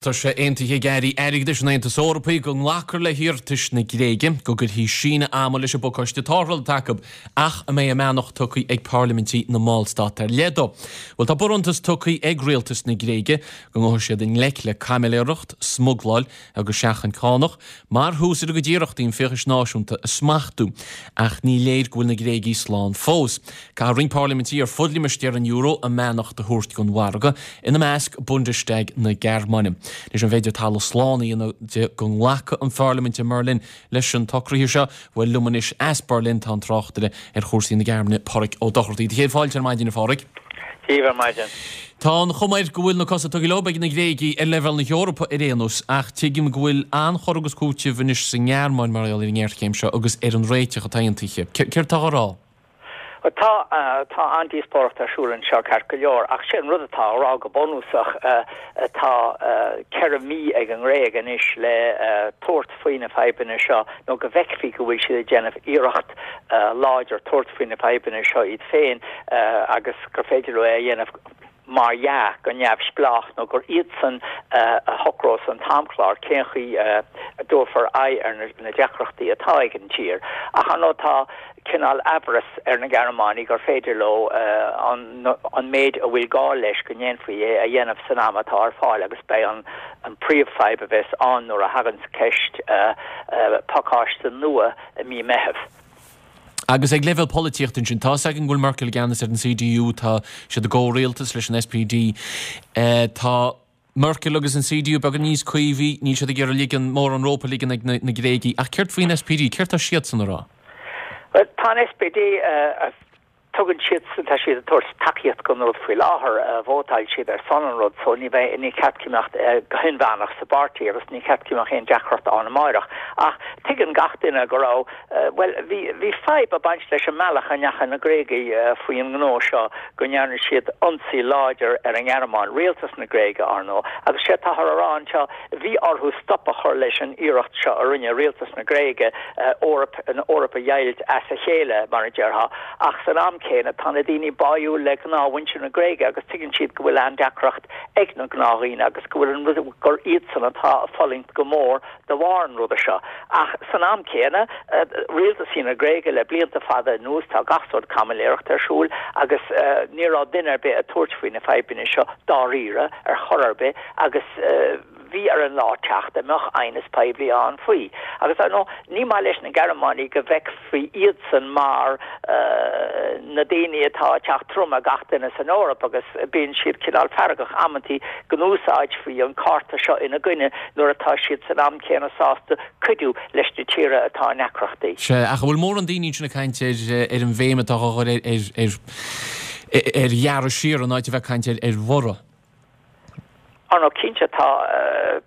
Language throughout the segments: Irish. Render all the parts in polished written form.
Tá sé aontaithe ag airí airgeadais an Aontais Eorpaigh go nglacfar le hiarratais na Gréige go gcuirfí síneadh ama leis an bpacáiste tarrthála atá acu ach a mbeidh a mbeannacht tugtha ag parlaimintí na mballstát ar leith dó. Bhuel, tá barántas tugtha ag rialtas na Gréige go ngabhfaidh siad i ngleic le caimiléireacht, smugláil agus seachaint cánach mar thús ar a gcuid iarrachtaí an fiachas náisiúnta a smachtú. Ach ní léir go bhfuil na Gréigigh slán fós. Caithfidh roinnt parlaimintí ar fud limistéar an euro a mbeannacht a thabhairt don mhargadh, ina measc Bundestag na Gearmáine. Anois an féidir talamh slán a dhéanamh de go nglacfaidh an pharlaimint i mBerlin leis an tsocruithe seo? Bhuel, liom anois as Berlin tá an tráchtaire ar chúrsaí na Gearmáine, Páraic Ó Dochartaigh. Do chéad fáilte ar maidin, a Pháraic. Dia dhaoibh ar maidin. Tá an chuma air go bhfuil na cosa tugtha leo ag na Gréigigh ar leibhéal na hEorpa ar aon nós, ach tuigim go bhfuil an-chur agus cúiteamh anois sa nGearmáin mar gheall ar an ngéarchéim seo agus ar an réiteach atá aontaithe. Céard atá á rá? Tá, tá an-díospóireacht ar siúl anseo ceart go leor, ach sé an rud atá á rá go bunúsach, tá 4 mí ag an nGréig anois le tabhairt faoi na fadhbanna seo nó go bhfeicfí go bhfuil siad ag déanamh iarracht láidir tabhairt faoi na fadhbanna seo iad féin agus gur féidir leo é a dhéanamh mar dhea, go neamhspleách nó gur iadsan a shocrós an t-amchlár cén chaoi a dtabharfar aghaidh ar na deacrachtaí atá ag an tír. Ach ar ndóigh tá cineál aimhreas ar na Gearmánaigh gur féidir leo an méid a bhfuil gá leis go ndéanfaí é a dhéanamh san am atá ar fáil agus beidh an príomhfhadhb a bheas ann nuair a thaganns ceist pacáiste nua i mí Meitheamh. Agus ag leibhéal polaitíochta ansin, tá a fhios againn go bhfuil Merkel i gceannas ar an CDU, tá siad i gcomhrialtas leis an SPD. Tá Merkel agus an CDU beagán níos caomhaí, níl siad ag iarraidh ligean, mórán rópa a ligean ag na Gréigigh. Ach céard faoin SPD? Céard tá siadsan a rá? Bhuel, tá an SPD, tugann siadsan, tá siad ag tabhairt tacaíocht don rud faoi láthair, vótáil siad ar son an rud so ní bheidh, ní ceart go mbeadh, go hinmheánach sa bpáirtí agus ní ceart go mbeadh aon deacracht ann amáireach. Ach tuigeann gach duine go raibh, Bhuel, bhí, bhí fadhb ag baint leis an mbealach a ndeachaigh na Gréagaigh faoin ngnó seo, go ndearna siad ionsaí láidir ar an nGearmáin, rialtas na Gréige, ar ndóigh, agus sé atáthar a rá anseo, bhí orthu stop a chur leis an iarracht seo a rinne rialtas na Gréige, Eoraip, an Eoraip a dheighilt as a chéile, mar a déarfá, ach san am céanna, tá na daoine báúil le gnáthmhuintir na Gréige agus tuigeann siad go bhfuil an-deacracht ag na gnáthdhaoine agus go bhfuil an rud, gur iadsan atá ag fulaingt go mór de bharr an ruda seo. Ach san am céanna, rialtasaí na Gréige le blianta fada anuas, tá gach sórt caimiléireachta ar siúl agus ní raibh duine ar bith ag tabhairt faoi na fadhbanna seo dáiríre ar chor ar bith agus bhí ar an lá teacht a mbeadh aighneas poiblí ann faoi. Agus ar ndóigh, ní maith leis na Gearmánaigh go bhfeicfí iadsan mar na daoine atá ag teacht trom ar gach duine san Eoraip agus bíonn siad cineál feargach amantaí go n-úsáidfí an cárta seo ina gcoinne nuair atá siad san am céanna sásta cuidiú leis na tíortha atá i ndeacrachtaí. Sea, ach an bhfuil mórán daoine ansin ag caint ar ar an bhéim atá á chur ar ar ar ghearradh siar in áit a bheith ag caint ar ar bhorradh? Ar ndóigh, cinnte, tá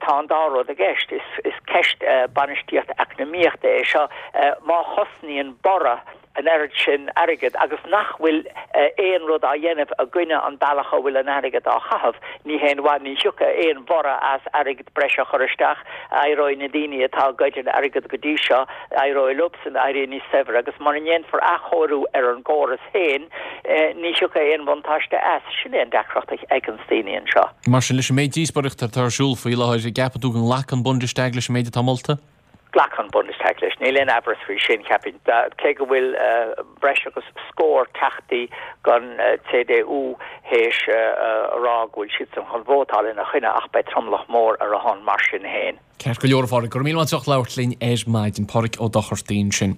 tá an dá rud i gceist. Is is ceist bainistíocht eacnamaíochta é seo. Má chosnaíonn borradh an oiread sin airgid agus nach bhfuil aon rud á dhéanamh i gcoinne an bealach a bhfuil an airgead á chaitheamh, ní haon mhaith, ní thiocfaidh aon bhorradh as airgead breise a chur isteach. Éireoidh na daoine atá ag goid an airgead go dtí seo, éireoidh leobsan éirí níos saibhre agus mura ndéanfar athchóiriú ar an gcóras féin, ní thiocfaidh aon bhuntáiste as. Sin é an deacracht a fheiceanns daoine anseo. Mar sin, leis an méid díospóireachta atá ar siúl faoi láthair, an gceapann tú go nglacfaidh an Bundestag leis an méid atá molta? Glacfaidh an Bundestag leis, níl aon aimhreas faoi sin, cheapfainn. Cé go bhfuil breis agus scór teachtaí den CDU théis a rá go bhfuil siadsan chun vótáil ina choinne ach beidh tromlach mór ar a shon mar sin féin. Ceart go leor, a Pháraic. Go raibh míle maith agat as ucht labhairt linn ar maidin. Páraic Ó Dochartaigh ansin.